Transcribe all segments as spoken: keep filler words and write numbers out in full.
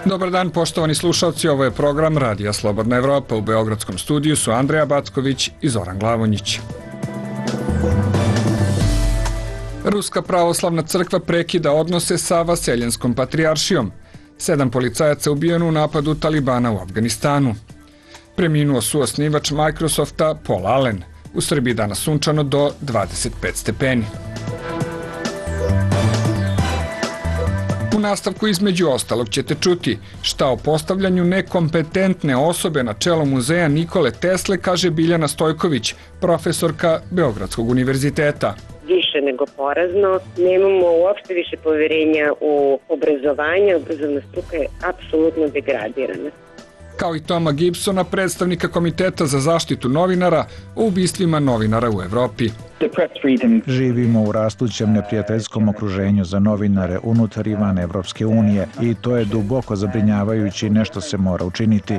Dobar dan, poštovani slušalci, ovo je program Radija Slobodna Evropa. U Beogradskom studiju su Andreja Backović i Zoran Glavonjić. Ruska pravoslavna crkva prekida odnose sa Vaseljenskom patrijaršijom. Sedam policajaca ubijeno u napadu Talibana u Afganistanu. Preminuo suosnivač Microsofta Paul Allen. U Srbiji danas sunčano do dvadeset pet stepeni. U nastavku između ostalog ćete čuti šta o postavljanju nekompetentne osobe na čelo muzeja Nikole Tesle kaže Biljana Stojković, profesorka Beogradskog univerziteta. Više nego porazno, nemamo uopšte više poverenja u obrazovanje, obrazovna struka je apsolutno degradirana. Kao i Toma Gibsona, predstavnika Komiteta za zaštitu novinara o ubistvima novinara u Evropi. Živimo u rastućem neprijateljskom okruženju za novinare unutar i van Evropske unije i to je duboko zabrinjavajuće i nešto se mora učiniti.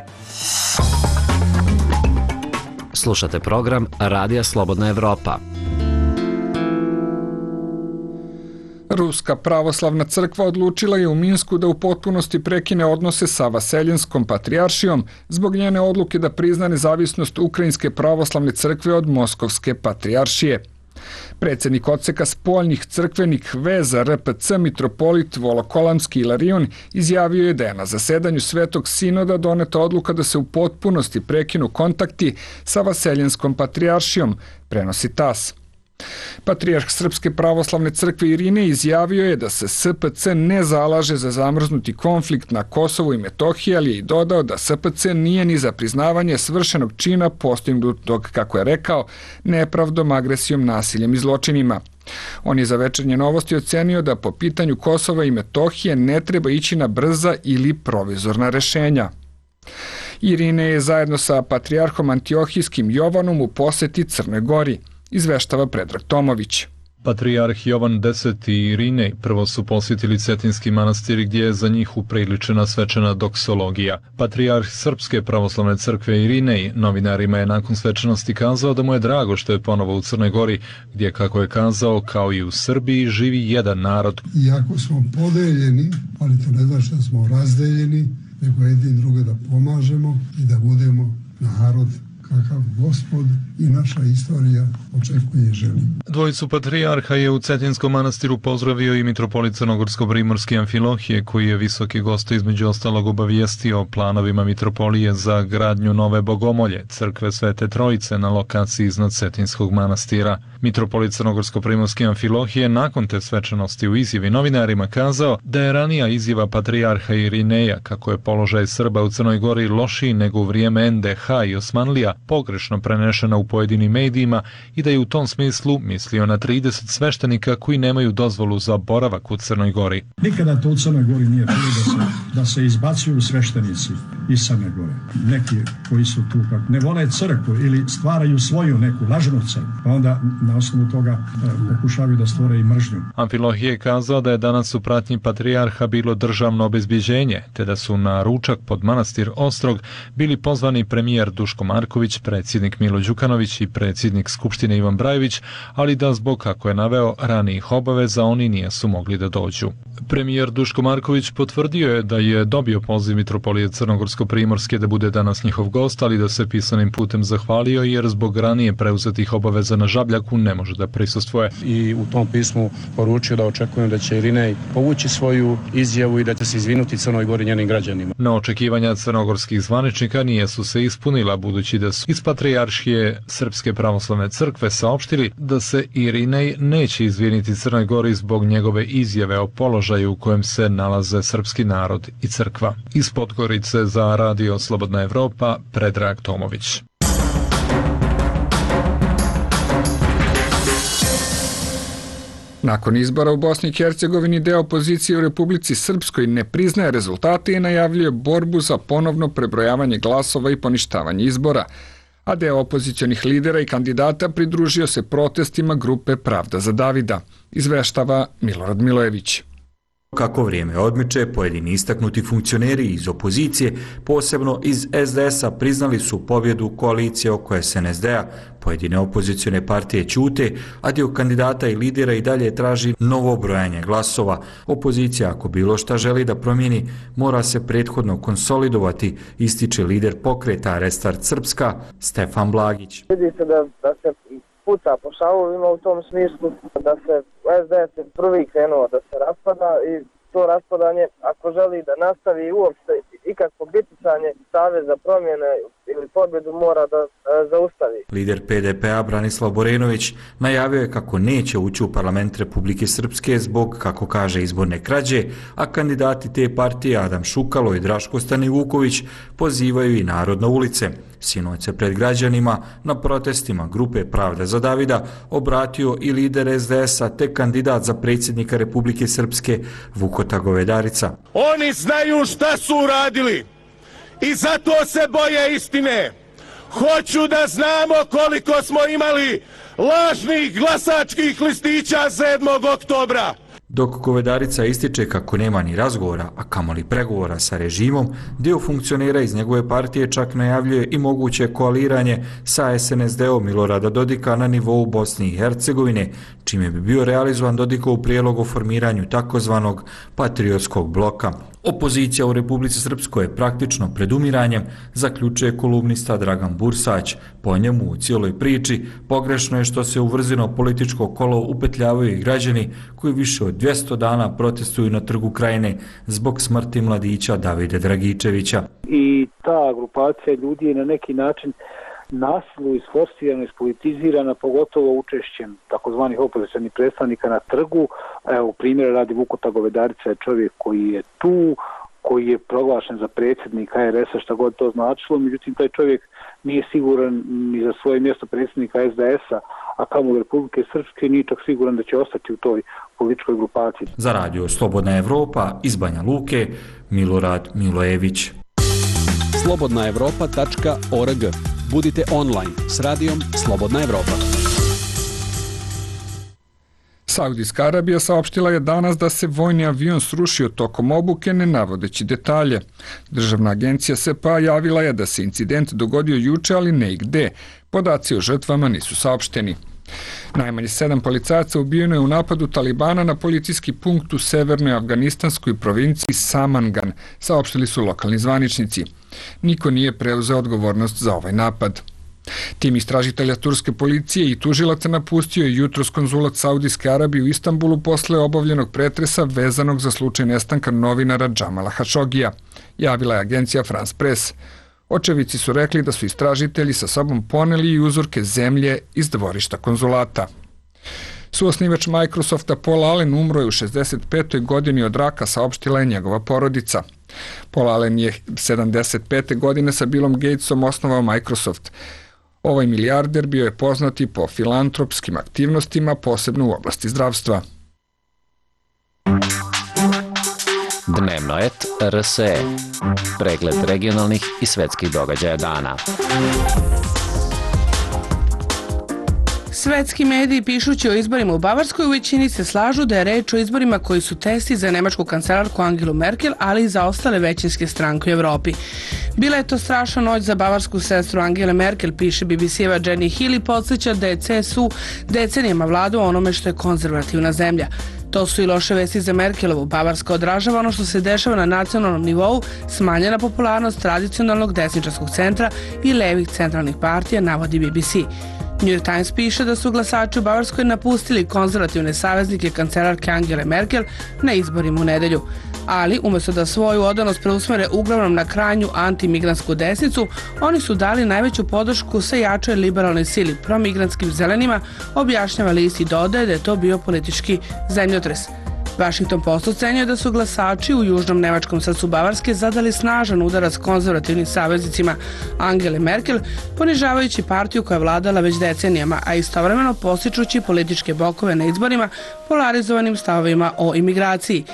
Slušate program Radija Slobodna Evropa. Ruska pravoslavna crkva odlučila je u Minsku da u potpunosti prekine odnose sa Vaseljenskom patrijaršijom zbog njene odluke da prizna nezavisnost Ukrajinske pravoslavne crkve od Moskovske patrijaršije. Predsednik odseka spoljnih crkvenih veza R P C mitropolit Volokolamski Ilarion izjavio je da je na zasedanju Svetog sinoda doneta odluka da se u potpunosti prekinu kontakti sa Vaseljenskom patrijaršijom, prenosi T A S. Patrijarh Srpske pravoslavne crkve Irinej izjavio je da se S P C ne zalaže za zamrznuti konflikt na Kosovu i Metohiji, ali je i dodao da S P C nije ni za priznavanje svršenog čina postignutog, kako je rekao, nepravdom, agresijom, nasiljem i zločinima. On je za Večernje novosti ocenio da po pitanju Kosova i Metohije ne treba ići na brza ili provizorna rešenja. Irinej je zajedno sa patrijarhom Antiohijskim Jovanom u poseti Crnoj Gori, izveštava Predrag Tomović. Patrijarh Jovan Deseti i Irinej prvo su posjetili Cetinski manastir gdje je za njih upriličena svečana doksologija. Patrijarh Srpske pravoslavne crkve Irinej novinarima je nakon svečanosti kazao da mu je drago što je ponovo u Crnoj Gori, gdje, kako je kazao, kao i u Srbiji živi jedan narod. Iako smo podeljeni, ali to ne znači da smo razdeljeni, nego jedin druge da pomažemo i da budemo narod kakav Gospod i naša istorija očekuje i želi. Dvojicu patrijarha je u Cetinskom manastiru pozdravio i mitropolit Crnogorsko-Primorski Amfilohije, koji je visoki gost između ostalog obavijestio o planovima mitropolije za gradnju nove bogomolje, crkve Svete Trojice na lokaciji iznad Cetinskog manastira. Mitropolit Crnogorsko-Primorski Amfilohije nakon te svečanosti u izjavi novinarima kazao da je ranija izjava patrijarha Irineja kako je položaj Srba u Crnoj Gori lošiji nego u vrijeme N D H i Osmanlija pogrešno prenešena u pojedinim medijima i da je u tom smislu mislio na trideset sveštenika koji nemaju dozvolu za boravak u Crnoj Gori. Nikada to u Crnoj Gori nije bilo da se, da se izbacuju sveštenici iz Crne Gore. Neki koji su tu kako ne vole crkvu ili stvaraju svoju neku lažnu crkvu, pa onda na osnovu toga e, pokušavaju da stvore i mržnju. Amfilohije je kazao da je danas u pratnji patrijarha bilo državno obezbjeđenje, te da su na ručak pod manastir Ostrog bili pozvani premijer Duško Marković, predsjednik Milo Đukanović i predsjednik Skupštine Ivan Brajević, ali da zbog, kako je naveo, ranijih obaveza oni nisu mogli da dođu. Premijer Duško Marković potvrdio je da je dobio poziv mitropolije Crnogorsko-Primorske da bude danas njihov gost, ali da se pisanim putem zahvalio jer zbog ranije preuzetih obaveza na Žabljaku ne može da prisustvuje. I u tom pismu poručio da očekujem da će Irinej povući svoju izjavu i da će se izvinuti Crnoj Gori njenim građanima. Na očekivanja crnogorskih zvaničnika nije su se ispunila, budući da su iz Patrijaršije Srpske pravoslavne crkve saopštili da se Irinej neće izviniti Crnoj Gori zbog njegove izjave o položaju u kojem se nalaze srpski narod i crkva. Iz Podgorice za Radio Slobodna Evropa, Predrag Tomović. Nakon izbora u Bosni i Hercegovini, deo opozicije u Republici Srpskoj ne priznaje rezultate i najavljuje borbu za ponovno prebrojavanje glasova i poništavanje izbora, a deo opozicionih lidera i kandidata pridružio se protestima grupe Pravda za Davida, izveštava Milorad Milojević. Kako vrijeme odmiče, pojedini istaknuti funkcioneri iz opozicije, posebno iz es de esa, priznali su pobjedu koalicije oko es en es de-a. Pojedine opozicione partije ćute, a dio kandidata i lidera i dalje traži novo brojanje glasova. Opozicija, ako bilo šta želi da promijeni, mora se prethodno konsolidovati, ističe lider pokreta Restart Srpska, Stefan Blagić. Vidi se da, da se puca po šavovima u tom smislu, da se es de es je prvi krenuo da se raspada i to raspadanje, ako želi da nastavi uopšte ikakvo biticanje, Savez za promjene ili pobjedu mora da e, zaustavi. Lider pe de pe-a Branislav Borenović najavio je kako neće ući u parlament Republike Srpske zbog, kako kaže, izborne krađe, a kandidati te partije Adam Šukalo i Draško Stanivuković pozivaju i narod na ulice. Sinoć se pred građanima na protestima grupe Pravda za Davida obratio i lider es de esa te kandidat za predsjednika Republike Srpske Vukota Govedarica. Oni znaju šta su uradili i zato se boje istine. Hoću da znamo koliko smo imali lažnih glasačkih listića sedmog oktobra. Dok Govedarica ističe kako nema ni razgovora, a kamoli pregovora sa režimom, dio funkcionera iz njegove partije čak najavljuje i moguće koaliranje sa es en es de-om Milorada Dodika na nivou Bosne i Hercegovine, čime bi bio realizovan Dodikov prijedlog o formiranju takozvanog patriotskog bloka. Opozicija u Republici Srpskoj je praktično pred umiranjem, zaključuje kolumnista Dragan Bursać. Po njemu u cijeloj priči pogrešno je što se u vrzino političko kolo upetljavaju i građani koji više od dvjesto dana protestuju na Trgu Krajine zbog smrti mladića Davide Dragičevića. I ta grupacija ljudi je na neki način nasilu isforsirana, ispolitizirana, pogotovo učešćem takozvanih opozicionih predstavnika na trgu. Evo, primjer radi Vukota Govedarica je čovjek koji je tu, koji je proglašen za predsjednika er es a, šta god to značilo, međutim taj čovjek nije siguran ni za svoje mjesto predsjednika es de esa, a kamoli Republike Srpske, nije čak siguran da će ostati u toj političkoj grupaciji. Za radio Slobodna Evropa iz Banja Luke, Milorad Milojević. slobodna evropa tačka org. Budite online s radijom Slobodna Evropa. Saudijska Arabija saopštila je danas da se vojni avion srušio tokom obuke, ne navodeći detalje. Državna agencija es pe a javila je da se incident dogodio juče, ali ne i gde. Podaci o žrtvama nisu saopšteni. Najmanje sedam policajaca ubijeno je u napadu Talibana na policijski punkt u severnoj afganistanskoj provinciji Samangan, saopštili su lokalni zvaničnici. Niko nije preuzeo odgovornost za ovaj napad. Tim istražitelja turske policije i tužilaca napustio je jutros konzulat Saudijske Arabije u Istanbulu posle obavljenog pretresa vezanog za slučaj nestanka novinara Džamala Hašogija, javila je agencija France Press. Očevici su rekli da su istražitelji sa sobom poneli i uzorke zemlje iz dvorišta konzulata. Suosnivač Microsofta Paul Allen umro je u šezdeset petoj godini od raka, saopštila je njegova porodica. Paul Allen je sedamdeset pete godine sa Billom Gatesom osnovao Microsoft. Ovaj milijarder bio je poznat i po filantropskim aktivnostima, posebno u oblasti zdravstva. Dnevnoet er es e. Pregled regionalnih i svetskih događaja dana. Svetski mediji, pišući o izborima u Bavarskoj, u većini se slažu da je reč o izborima koji su testi za nemačku kancelarku Angelu Merkel, ali i za ostale većinske stranke u Evropi. Bila je to strašna noć za bavarsku sestru Angele Merkel, piše be be ce-eva Jenny Hill i podsjeća da je ce es u decenijama vladao onome što je konzervativna zemlja. To su i loše vesti za Merkelovu. Bavarska odražava ono što se dešava na nacionalnom nivou, smanjena popularnost tradicionalnog desničarskog centra i levih centralnih partija, navodi be be ce. New York Times piše da su glasači u Bavarskoj napustili konzervativne saveznike kancelarke Angele Merkel na izborima u nedelju. Ali, umjesto da svoju odanost preusmere uglavnom na krajnju antimigrantsku desnicu, oni su dali najveću podršku sa jačoj liberalnoj sili promigrantskim zelenima, objašnjava list i dodaje da je to bio politički zemljotres. Washington Post ocenjuje da su glasači u južnom nemačkom srcu Bavarske zadali snažan udarac konzervativnim saveznicima Angele Merkel, ponižavajući partiju koja je vladala već decenijama, a istovremeno postičući političke blokove na izborima polarizovanim stavovima o imigraciji.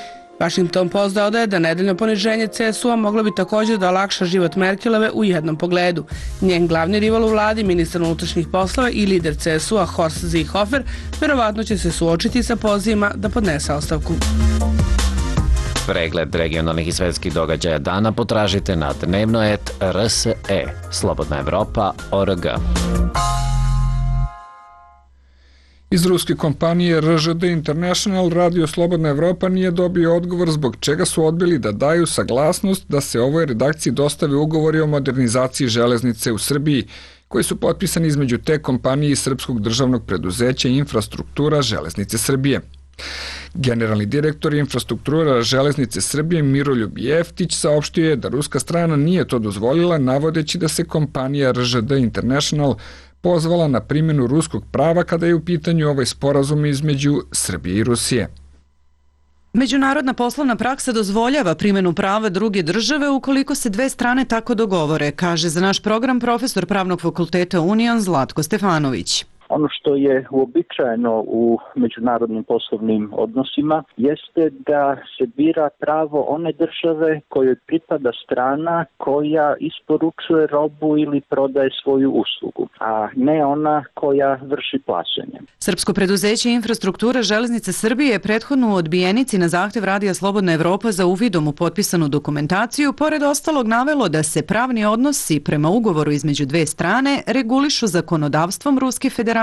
Washington Post dodaje da nedeljno poniženje ce es u-a moglo bi također da olakša život Merkelove u jednom pogledu. Njen glavni rival u vladi, ministar unutrašnjih poslova i lider ce es u-a Horst Seehofer, verovatno će se suočiti sa pozivima da podnese ostavku. Pregled regionalnih i svetskih događaja dana potražite na dnevnoet tačka r s e, slobodna evropa tačka org. Iz ruske kompanije R Ž D International Radio Slobodna Evropa nije dobio odgovor zbog čega su odbili da daju saglasnost da se ovoj redakciji dostave ugovori o modernizaciji železnice u Srbiji, koji su potpisani između te kompanije i srpskog državnog preduzeća Infrastruktura železnice Srbije. Generalni direktor Infrastruktura železnice Srbije Miroljub Jeftić saopštio je da ruska strana nije to dozvolila, navodeći da se kompanija R Ž D International pozvala na primjenu ruskog prava kada je u pitanju ovaj sporazum između Srbije i Rusije. Međunarodna poslovna praksa dozvoljava primjenu prava druge države ukoliko se dve strane tako dogovore, kaže za naš program profesor Pravnog fakulteta Union Zlatko Stefanović. Ono što je uobičajeno u međunarodnim poslovnim odnosima jeste da se bira pravo one države kojoj pripada strana koja isporučuje robu ili prodaje svoju uslugu, a ne ona koja vrši plaćanje. Srpsko preduzeće Infrastruktura železnice Srbije je prethodno u odbijenici na zahtev Radija Slobodna Evropa za uvidom u potpisanu dokumentaciju pored ostalog navelo da se pravni odnosi prema ugovoru između dve strane regulišu zakonodavstvom Ruske federacije,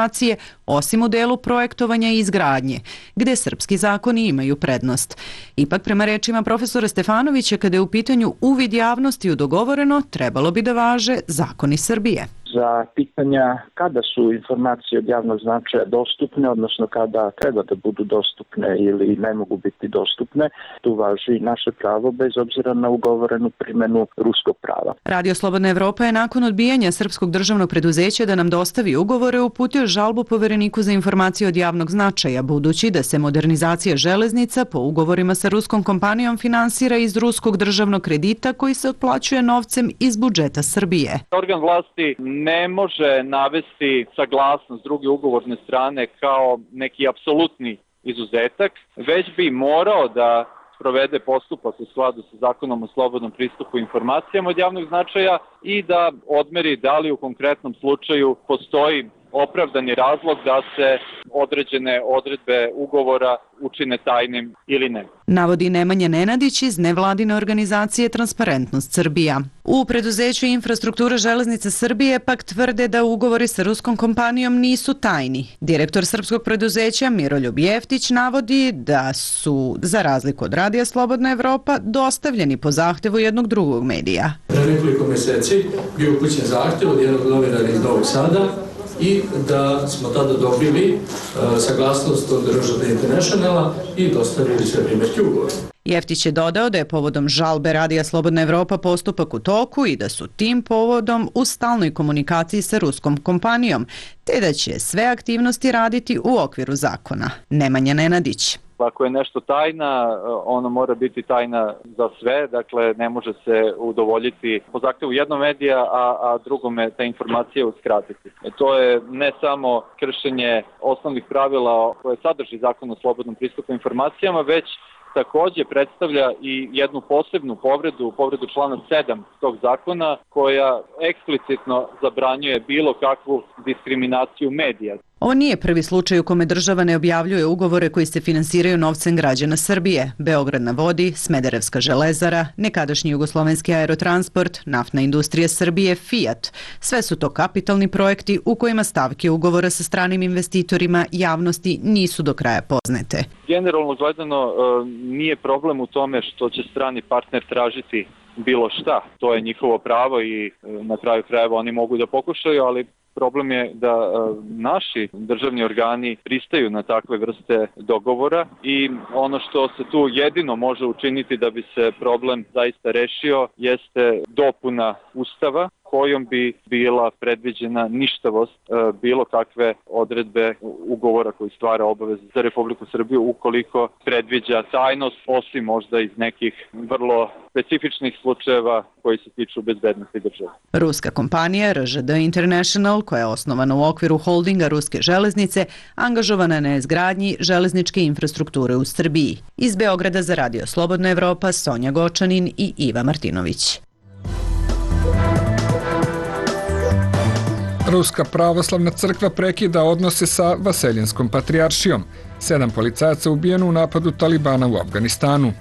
osim u delu projektovanja i izgradnje, gde srpski zakoni imaju prednost. Ipak, prema rečima profesora Stefanovića, kada je u pitanju uvid javnosti u dogovoreno, trebalo bi da važe zakoni Srbije. Za pitanja kada su informacije od javnog značaja dostupne, odnosno kada treba da budu dostupne ili ne mogu biti dostupne, tu važi naše pravo bez obzira na ugovorenu primjenu ruskog prava. Radio Slobodna Evropa je nakon odbijanja srpskog državnog preduzeća da nam dostavi ugovore uputio žalbu Povereniku za informacije od javnog značaja, budući da se modernizacija železnica po ugovorima sa ruskom kompanijom finansira iz ruskog državnog kredita koji se otplaćuje novcem iz budžeta Srbije. Organ vlasti ne može navesti saglasnost druge ugovorne strane kao neki apsolutni izuzetak, već bi morao da sprovede postupak u skladu sa zakonom o slobodnom pristupu informacijama od javnog značaja i da odmeri da li u konkretnom slučaju postoji opravdani razlog da se određene odredbe ugovora učine tajnim ili ne. Navodi Nemanja Nenadić iz nevladine organizacije Transparentnost Srbija. U preduzeću Infrastruktura železnice Srbije pak tvrde da ugovori sa ruskom kompanijom nisu tajni. Direktor srpskog preduzeća Miroljub Jeftić navodi da su, za razliku od Radija Slobodna Evropa, dostavljeni po zahtevu jednog drugog medija. Pre nekoliko meseci bio upućen zahtev od jednog novinara iz Novog Sada i da smo tada dobili uh, saglasnost od R Ž D Internationala i dostavili sve primjerke ugovora. Jeftić je dodao da je povodom žalbe Radija Slobodna Evropa postupak u toku i da su tim povodom u stalnoj komunikaciji sa ruskom kompanijom, te da će sve aktivnosti raditi u okviru zakona. Nemanja Nenadić. Ako je nešto tajna, ono mora biti tajna za sve, dakle ne može se udovoljiti po zahtevu jednog medija, a, a drugome te informacije uskratiti. E, to je ne samo kršenje osnovnih pravila koje sadrži zakon o slobodnom pristupu informacijama, već takođe predstavlja i jednu posebnu povredu, povredu člana sedam tog zakona, koja eksplicitno zabranjuje bilo kakvu diskriminaciju medija. Ovo nije prvi slučaj u kome država ne objavljuje ugovore koji se finansiraju novcem građana Srbije. Beograd na vodi, Smederevska železara, nekadašnji jugoslovenski aerotransport, naftna industrija Srbije, Fiat. Sve su to kapitalni projekti u kojima stavke ugovora sa stranim investitorima javnosti nisu do kraja poznate. Generalno gledano nije problem u tome što će strani partner tražiti bilo šta. To je njihovo pravo i na kraju krajeva oni mogu da pokušaju, ali problem je da naši državni organi pristaju na takve vrste dogovora i ono što se tu jedino može učiniti da bi se problem zaista rešio jeste dopuna Ustava kojom bi bila predviđena ništavost bilo kakve odredbe ugovora koji stvara obaveze za Republiku Srbiju ukoliko predviđa tajnost, osim možda iz nekih vrlo specifičnih slučajeva koji se tiču bezbednosti države. Ruska kompanija R Ž D International, koja je osnovana u okviru holdinga Ruske železnice, angažovana na izgradnji železničke infrastrukture u Srbiji. Iz Beograda za Radio Slobodna Evropa, Sonja Gočanin i Iva Martinović. Ruska pravoslavna crkva prekida odnose sa Vaseljinskom patrijaršijom. Sedam policajaca ubijeno u napadu Talibana u Afganistanu.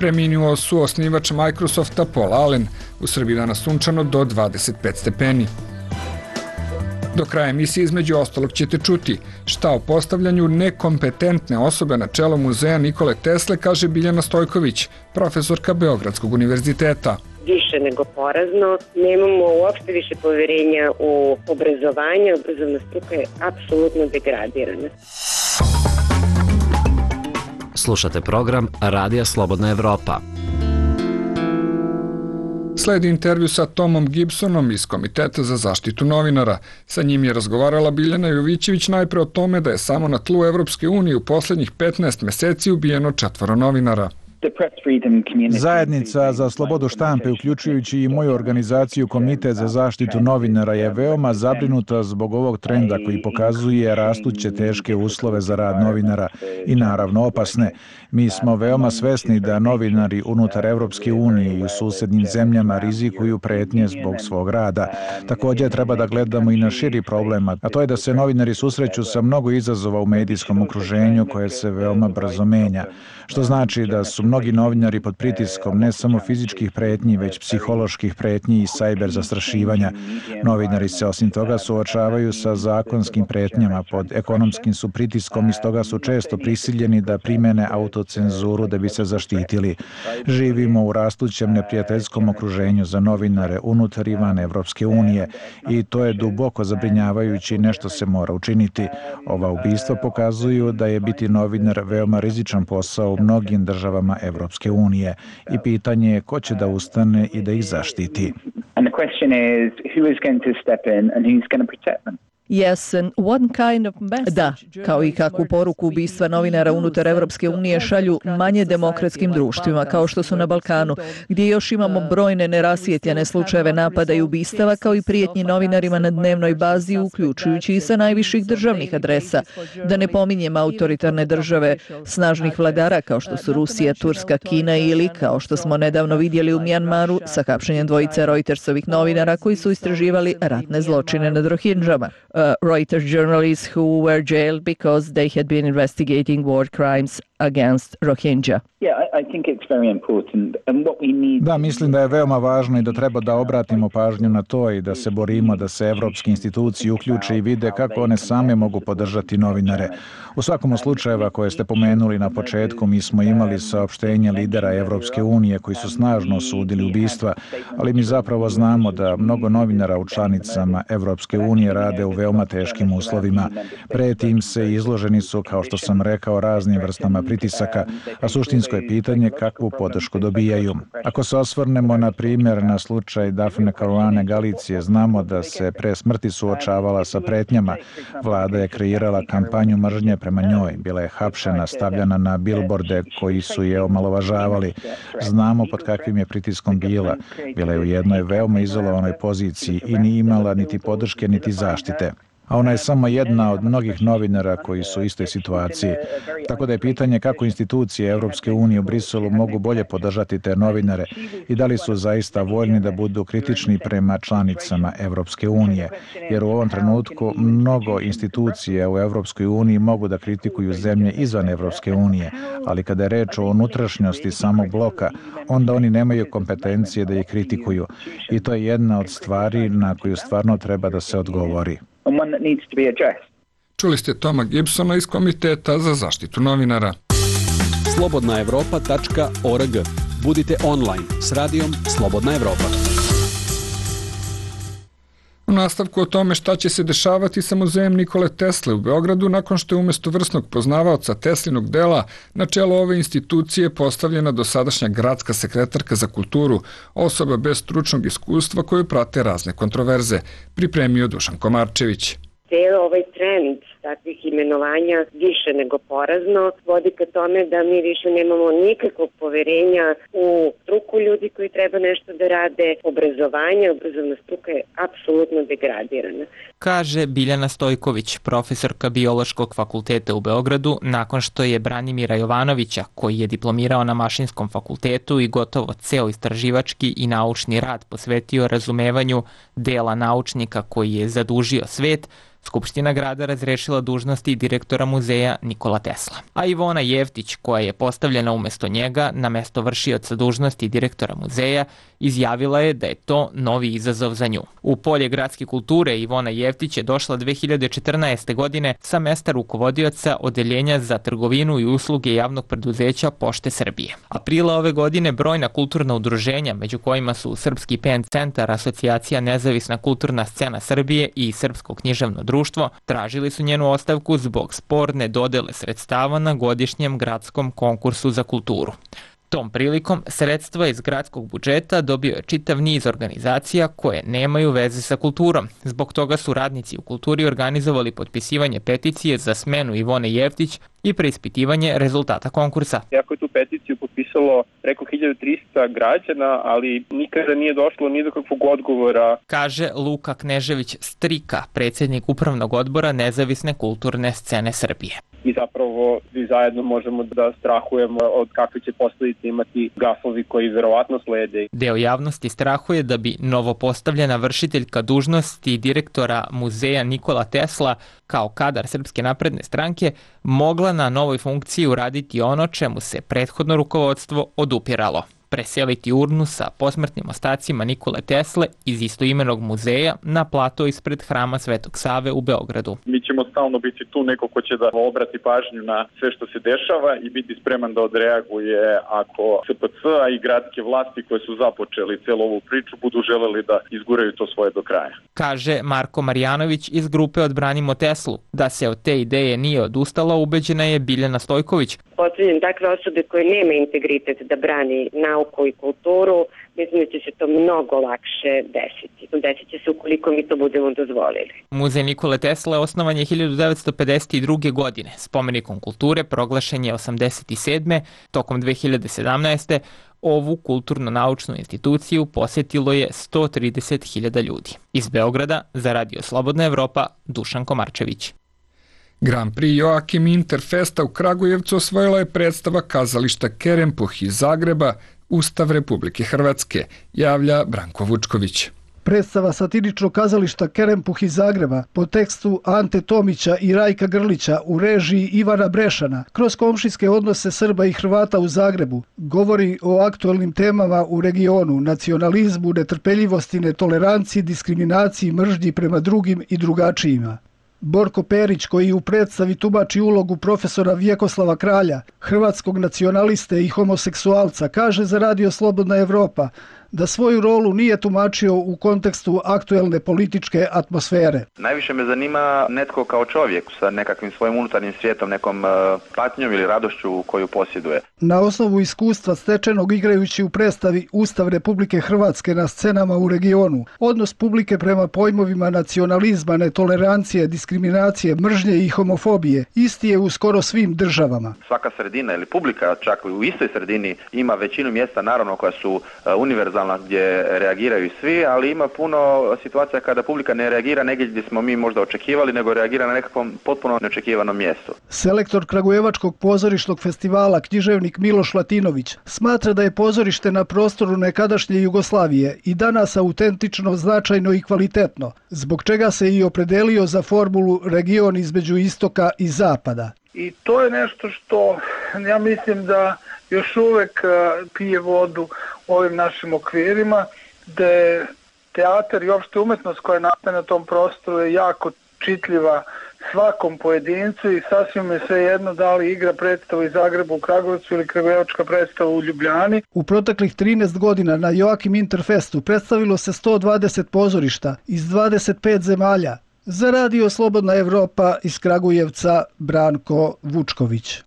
Preminuo su osnivač Microsofta Paul Allen. U Srbiji danas sunčano do dvadeset pet stepeni. Do kraja emisije između ostalog ćete čuti šta o postavljanju nekompetentne osobe na čelo muzeja Nikole Tesle kaže Biljana Stojković, profesorka Beogradskog univerziteta. Više nego porazno, nemamo uopšte više poverenja u obrazovanje, obrazovna struka je apsolutno degradirana. Slušate program Radija Slobodna Evropa. Sledi intervju sa Tomom Gibsonom iz Komiteta za zaštitu novinara. Sa njim je razgovarala Biljana Jovićević najpre o tome da je samo na tlu Evropske unije u poslednjih petnaest meseci ubijeno četvoro novinara. Zajednica za slobodu štampe, uključujući i moju organizaciju Komitet za zaštitu novinara, je veoma zabrinuta zbog ovog trenda koji pokazuje rastuće teške uslove za rad novinara i naravno opasne. Mi smo veoma svesni da novinari unutar Evropske unije i u susednim zemljama rizikuju pretnje zbog svog rada. Također treba da gledamo i na širi problem, a to je da se novinari susreću sa mnogo izazova u medijskom okruženju koje se veoma brzo menja. Što znači da su mnogi novinari pod pritiskom ne samo fizičkih pretnji, već psiholoških pretnji i sajber zastrašivanja. Novinari se osim toga suočavaju sa zakonskim pretnjama, pod ekonomskim su pritiskom i stoga su često prisiljeni da primene autocenzuru da bi se zaštitili. Živimo u rastućem neprijateljskom okruženju za novinare unutar i van Evropske unije i to je duboko zabrinjavajuće i nešto se mora učiniti. Ova ubistva pokazuju da je biti novinar veoma rizičan posao u mnogim državama Evropske unije i pitanje je ko će da ustane i da ih zaštiti. And the question is who is going to step in and who's going to protect them. Da, kao i kakvu poruku ubistva novinara unutar Evropske unije šalju manje demokratskim društvima, kao što su na Balkanu, gdje još imamo brojne nerasvijetljene slučajeve napada i ubistava, kao i prijetnji novinarima na dnevnoj bazi, uključujući i sa najviših državnih adresa. Da ne pominjem autoritarne države snažnih vladara, kao što su Rusija, Turska, Kina ili, kao što smo nedavno vidjeli u Mjanmaru, sa hapšenjem dvojice Reutersovih novinara koji su istraživali ratne zločine nad Rohingjama. Uh, Reuters journalists who were jailed because they had been investigating war crimes against Rohingya. Da, mislim da je veoma važno i da treba da obratimo pažnju na to i da se borimo da se evropske institucije uključe i vide kako one same mogu podržati novinare. U svakom slučajeva koje ste pomenuli na početku, mi smo imali saopštenje lidera Evropske unije koji su snažno osudili ubistva, ali mi zapravo znamo da mnogo novinara u članicama Evropske unije rade u veoma teškim uslovima. Preti im se i izloženi su, kao što sam rekao, raznim vrstama pritisaka, a suštinsko je pitanje kakvu podršku dobijaju. Ako se osvrnemo, na primjer, na slučaj Dafne Caruane Galicije, znamo da se pre smrti suočavala sa pretnjama. Vlada je kreirala kampanju mržnje prema njoj, bila je hapšena, stavljana na bilborde koji su je omalovažavali. Znamo pod kakvim je pritiskom bila. Bila je u jednoj veoma izolovanoj poziciji i nije imala niti podrške niti zaštite. A ona je samo jedna od mnogih novinara koji su u istoj situaciji. Tako da je pitanje kako institucije Evropske unije u Briselu mogu bolje podržati te novinare i da li su zaista voljni da budu kritični prema članicama Evropske unije. Jer u ovom trenutku mnogo institucija u Evropskoj uniji mogu da kritikuju zemlje izvan Evropske unije, ali kada je reč o unutrašnjosti samog bloka, onda oni nemaju kompetencije da ih kritikuju. I to je jedna od stvari na koju stvarno treba da se odgovori. Čuli ste Toma Gibsona iz Komiteta za zaštitu novinara. slobodna evropa tačka org. Budite online s radijom Slobodna Evropa. U nastavku o tome šta će se dešavati sa muzejem Nikole Tesle u Beogradu nakon što je umjesto vrsnog poznavaoca Teslinog dela na čelo ove institucije postavljena dosadašnja gradska sekretarka za kulturu, osoba bez stručnog iskustva koju prate razne kontroverze, pripremio Dušan Komarčević. Cijelo ovaj trend takvih imenovanja više nego porazno vodi ka tome da mi više nemamo nikakvog poverenja u struku ljudi koji treba nešto da rade. Obrazovanje, obrazovna struka je apsolutno degradirana. Kaže Biljana Stojković, profesorka Biološkog fakulteta u Beogradu, nakon što je Branimira Jovanovića, koji je diplomirao na Mašinskom fakultetu i gotovo ceo istraživački i naučni rad posvetio razumevanju dela naučnika koji je zadužio svet, Skupština grada razrešila vršila dužnosti direktora muzeja Nikola Tesla. A Ivona Jevtić, koja je postavljena umesto njega na mesto vršioca dužnosti direktora muzeja, izjavila je da je to novi izazov za nju. U polje gradske kulture Ivona Jevtić je došla dve hiljade četrnaeste. godine sa mesta rukovodioca Odeljenja za trgovinu i usluge javnog preduzeća Pošte Srbije. Aprila ove godine brojna kulturna udruženja, među kojima su Srpski Pen centar, Asocijacija Nezavisna kulturna scena Srbije i Srpsko književno društvo, tražili su njenu ostavku zbog sporne dodele sredstava na godišnjem gradskom konkursu za kulturu. Tom prilikom sredstva iz gradskog budžeta dobio je čitav niz organizacija koje nemaju veze sa kulturom. Zbog toga su radnici u kulturi organizovali potpisivanje peticije za smenu Ivone Jevtić i preispitivanje rezultata konkursa. Jako je tu peticiju potpisalo preko hiljadu trista građana, ali nikada nije došlo ni do kakvog odgovora. Kaže Luka Knežević Strika, predsjednik upravnog odbora Nezavisne kulturne scene Srbije. I zapravo svi zajedno možemo da strahujemo od kakve će posledice imati gafovi koji verovatno slede. Deo javnosti strahuje da bi novopostavljena vršiteljka dužnosti direktora muzeja Nikola Tesla kao kadar Srpske napredne stranke mogla na novoj funkciji uraditi ono čemu se prethodno rukovodstvo odupiralo: preseliti urnu sa posmrtnim ostacima Nikole Tesle iz istoimenog muzeja na plato ispred Hrama Svetog Save u Beogradu. Mi ćemo stalno biti tu neko ko će da obrati pažnju na sve što se dešava i biti spreman da odreaguje ako S P C a i gradske vlasti koje su započeli celu ovu priču budu želeli da izguraju to svoje do kraja. Kaže Marko Marjanović iz grupe Odbranimo Teslu. Da se od te ideje nije odustala, ubeđena je Biljana Stojković. Postavljam takve osobe koje nema integritet da brani nauku i kulturu, mislim da će se to mnogo lakše desiti. Desit će se ukoliko mi to budemo dozvolili. Muzej Nikole Tesle osnovan je hiljadu devetsto pedeset druge. godine. Spomenikom kulture proglašen je osamdeset sedme. Tokom dve hiljade sedamnaeste. ovu kulturno-naučnu instituciju posjetilo je sto trideset hiljada ljudi. Iz Beograda za Radio Slobodna Evropa, Dušan Komarčević. Grand Prix Joakim Interfesta u Kragujevcu osvojila je predstava kazališta Kerempuh iz Zagreba, Ustav Republike Hrvatske, javlja Branko Vučković. Predstava satiričnog kazališta Kerempuh iz Zagreba po tekstu Ante Tomića i Rajka Grlića u režiji Ivana Brešana kroz komšijske odnose Srba i Hrvata u Zagrebu govori o aktuelnim temama u regionu, nacionalizmu, netrpeljivosti, netoleranciji, diskriminaciji, mržnji prema drugim i drugačijima. Borko Perić, koji u predstavi tumači ulogu profesora Vjekoslava Kralja, hrvatskog nacionaliste i homoseksualca, kaže za Radio Slobodna Evropa da svoju rolu nije tumačio u kontekstu aktuelne političke atmosfere. Najviše me zanima netko kao čovjek sa nekakvim svojim unutarnjim svijetom, nekom patnjom ili radošću koju posjeduje. Na osnovu iskustva stečenog igrajući u predstavi Ustav Republike Hrvatske na scenama u regionu, odnos publike prema pojmovima nacionalizma, netolerancije, diskriminacije, mržnje i homofobije isti je u skoro svim državama. Svaka sredina ili publika, čak u istoj sredini, ima većinu mjesta naravno koja su univerzalna, gdje reagiraju svi, ali ima puno situacija kada publika ne reagira negdje gdje smo mi možda očekivali, nego reagira na nekakvom potpuno neočekivanom mjestu. Selektor Kragujevačkog pozorišnog festivala, književnik Miloš Latinović, smatra da je pozorište na prostoru nekadašnje Jugoslavije i danas autentično, značajno i kvalitetno, zbog čega se i opredelio za formulu region između istoka i zapada. I to je nešto što ja mislim da još uvek pije vodu u ovim našim okvirima, da je teatar i opšte umetnost koja nastaje na tom prostoru je jako čitljiva svakom pojedincu i sasvim je sve jedno da li igra predstavu iz Zagreba u Kragujevcu ili kragujevačka predstava u Ljubljani. U proteklih trinaest godina na Joakim Interfestu predstavilo se sto dvadeset pozorišta iz dvadeset pet zemalja. Za Radio Slobodna Evropa iz Kragujevca, Branko Vučković.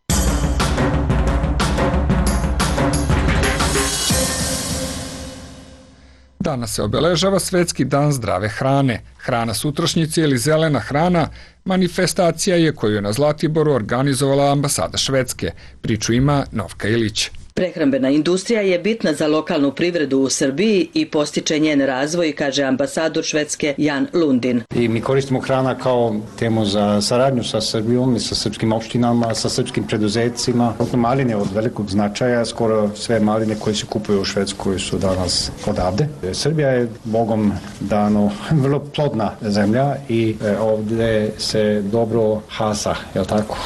Danas se obeležava Svetski dan zdrave hrane. Hrana sutrašnjice ili zelena hrana manifestacija je koju je na Zlatiboru organizovala ambasada Švedske. Priču ima Novka Ilić. Prehrambena industrija je bitna za lokalnu privredu u Srbiji i postiče njen razvoj, kaže ambasador Švedske Jan Lundin. I mi koristimo hrana kao temu za saradnju sa Srbijom i sa srpskim opštinama, sa srpskim preduzecima. Maline od velikog značaja, skoro sve maline koje se kupuju u Švedskoj su danas odavde. Srbija je Bogom dano vrlo plodna zemlja i ovde se dobro hasa, je li tako?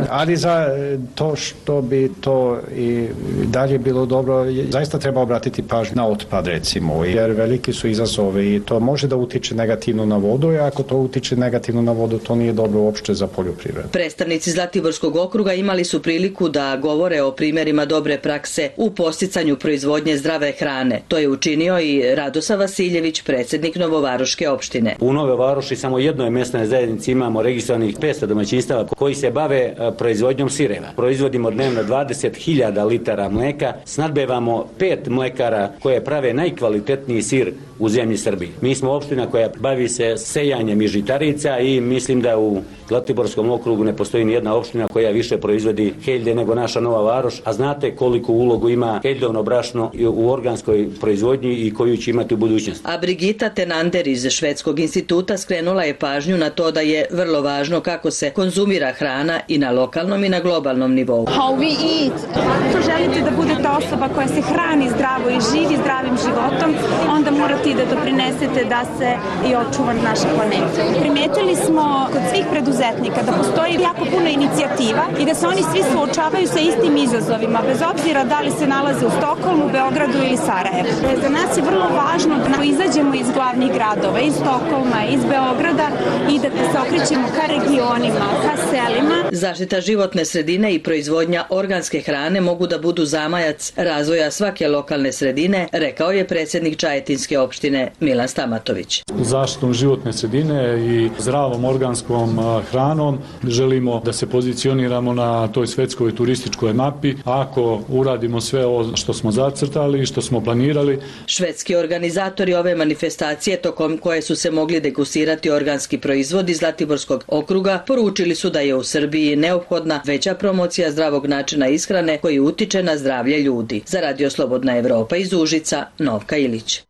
Ali za to što bi to i dalje bilo dobro, zaista treba obratiti pažnju na otpad, recimo, jer veliki su izazovi i to može da utiče negativno na vodu, i ako to utiče negativno na vodu, to nije dobro uopšte za poljoprivredu. Predstavnici Zlatiborskog okruga imali su priliku da govore o primjerima dobre prakse u posticanju proizvodnje zdrave hrane. To je učinio i Radosa Vasiljević, predsjednik Novovaroške opštine. U Nove Varoši samo jednoj mesnoj zajednici imamo registrovanih petsto domaćinstava koji se bave proizvodnjom sireva. Proizvodimo dnevno dvadeset hiljada litara mleka, snadbevamo pet mlekara koje prave najkvalitetniji sir u zemlji Srbiji. Mi smo opština koja bavi se sejanjem i žitarica i mislim da u Zlatiborskom okrugu ne postoji ni jedna opština koja više proizvodi heljde nego naša Nova Varoš, a znate koliko ulogu ima heljdovno brašno u organskoj proizvodnji i koju će imati u budućnosti. A Brigita Tenander iz Švedskog instituta skrenula je pažnju na to da je vrlo važno kako se konzumira hrana i na lokalnom i na globalnom nivou. How we eat. Ako želite da budete osoba koja se hrani zdravo i živi zdravim životom, onda morate i da doprinesete da se i očuva naša planeta. Primetili smo kod svih preduzetnika da postoji jako puno inicijativa i da se oni svi suočavaju sa istim izazovima, bez obzira da li se nalaze u Stokholmu, Beogradu ili Sarajevu. Za nas je vrlo važno da izađemo iz glavnih gradova, iz Stokholma, iz Beograda i da se okrećemo ka regionima, ka selima. Zaštita životne sredine i proizvodnja organske hrane mogu da budu zamajac razvoja svake lokalne sredine, rekao je predsjednik Čajetinske opštine Milan Stamatović. Zaštitom životne sredine i zdravom organskom hranom želimo da se pozicioniramo na toj svetskoj turističkoj mapi. Ako uradimo sve ovo što smo zacrtali i što smo planirali. Švedski organizatori ove manifestacije, tokom koje su se mogli degustirati organski proizvodi Zlatiborskog okruga, poručili su da je u Srbiji neophodna veća promocija zdravog načina ishrane koji utiče na zdravlje ljudi. Za Radio Slobodna Evropa iz Užica, Novka Ilić.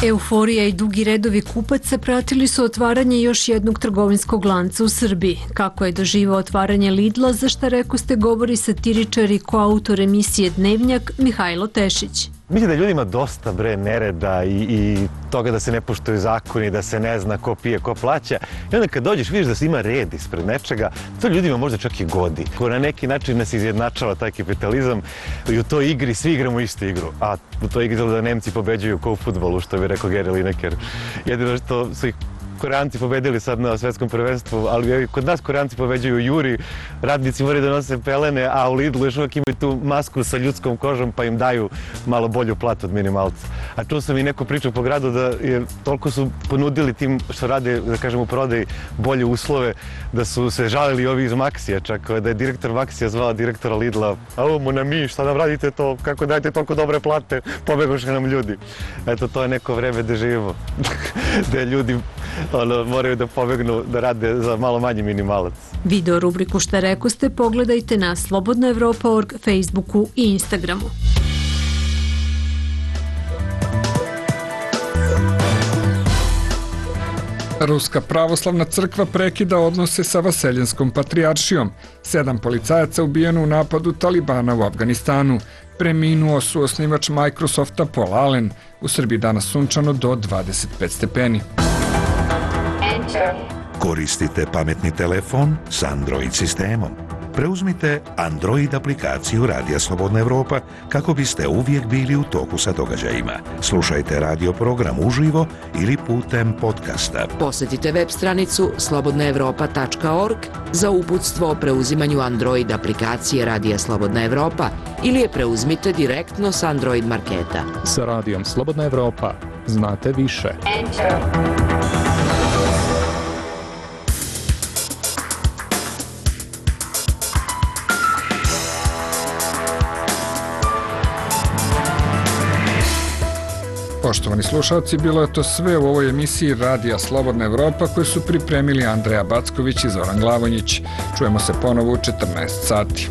Euforija i dugi redovi kupaca pratili su otvaranje još jednog trgovinskog lanca u Srbiji. Kako je doživao otvaranje Lidla, za šta rekoste govori satiričar i koautor emisije Dnevnjak Mihajlo Tešić. Mislim da ljudima dosta bre nereda i, i toga da se ne poštuju zakoni, da se ne zna ko pije, ko plaća. I onda kad dođeš vidiš da se ima red ispred nečega, to ljudima možda čak i godi. Ko na neki način nas izjednačava taj kapitalizam i u toj igri svi igramo istu igru. A u toj igri da Nemci pobeđuju ko u fudbalu, što bi rekao Gary Lineker. Jedino što su ih Koreanci pobedili sad na svetskom prvenstvu, ali kod nas Koreanci pobeđuju u Juri, radnici moraju da nose pelene, a u Lidlu još uvijek imaju tu masku sa ljudskom kožom pa im daju malo bolju platu od minimalca. A čuo sam i neku priču po gradu da je toliko su ponudili tim što rade, da kažem, u prodaji bolje uslove, da su se žalili ovi iz Maxija, čak da je direktor Maxija zvala direktora Lidla, a ovo mu na mi, šta nam radite to, kako dajete toliko dobre plate, pobegoše nam ljudi. Eto, to je neko vreme da živimo, da ljudi ono, moraju da pobegnu da rade za malo manji minimalac. Video rubriku Šta rekoste pogledajte na slobodna evropa tačka org, Facebooku i Instagramu. Ruska pravoslavna crkva prekida odnose sa Vaseljenskom patrijaršijom. Sedam policajaca ubijeno u napadu Talibana u Afganistanu. Preminuo su osnivač Microsofta Paul Allen. U Srbiji danas sunčano do dvadeset pet stepeni. Koristite pametni telefon s Android sistemom. Preuzmite Android aplikaciju Radija Slobodna Evropa kako biste uvijek bili u toku sa događajima. Slušajte radio program uživo ili putem podcasta. Posjetite web stranicu slobodna evropa tačka org za uputstvo o preuzimanju Android aplikacije Radija Slobodna Evropa ili je preuzmite direktno s Android marketa. Sa Radijom Slobodna Evropa znate više. Enter. Poštovani slušalci, bilo je to sve u ovoj emisiji Radija Slobodna Evropa koju su pripremili Andreja Backović i Zoran Glavonjić. Čujemo se ponovo u četrnaest sati.